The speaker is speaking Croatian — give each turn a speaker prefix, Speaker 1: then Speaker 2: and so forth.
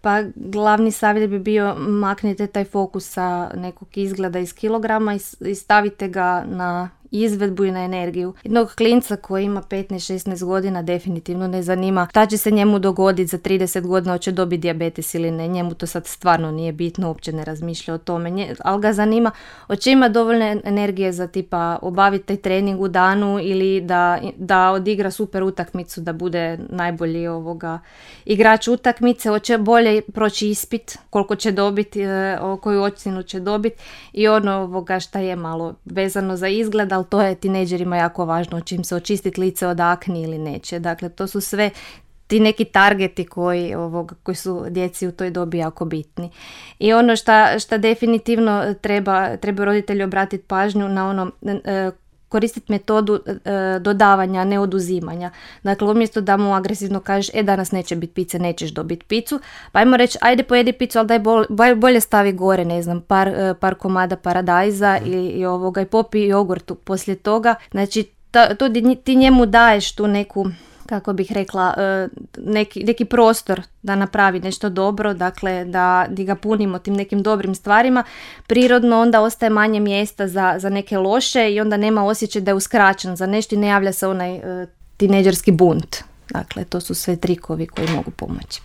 Speaker 1: Pa glavni savjet bi bio maknite taj fokus sa nekog izgleda iz kilograma i stavite ga na izvedbu i na energiju. Jednog klinca koji ima 15-16 godina definitivno ne zanima šta će se njemu dogoditi za 30 godina, hoće dobiti dijabetes ili ne. Njemu to sad stvarno nije bitno, uopće ne razmišlja o tome. Ali ga zanima hoće ima dovoljne energije za tipa obaviti taj trening u danu ili da odigra super utakmicu, da bude najbolji igrač utakmice, hoće bolje proći ispit, koliko će dobiti, koju ocjenu će dobiti i šta je malo vezano za izgled, ali to je tinejdžerima jako važno, će im se očistiti lice od akni ili neće. Dakle, to su sve ti neki targeti koji su djeci u toj dobi jako bitni. I ono šta definitivno treba roditelji obratiti pažnju na koristiti metodu dodavanja, ne oduzimanja. Dakle, umjesto da mu agresivno kažeš, danas neće biti pice, nećeš dobiti picu, pa ajmo reći, ajde pojedi picu, ali daj bolje stavi gore, ne znam, par komada paradajza i popi jogurt poslije toga. Znači, to ti njemu daješ tu neku, kako bih rekla, neki prostor da napravi nešto dobro, dakle da ga punimo tim nekim dobrim stvarima, prirodno onda ostaje manje mjesta za neke loše i onda nema osjećaj da je uskraćen za nešto i ne javlja se onaj tinejdžerski bunt. Dakle, to su sve trikovi koji mogu pomoći.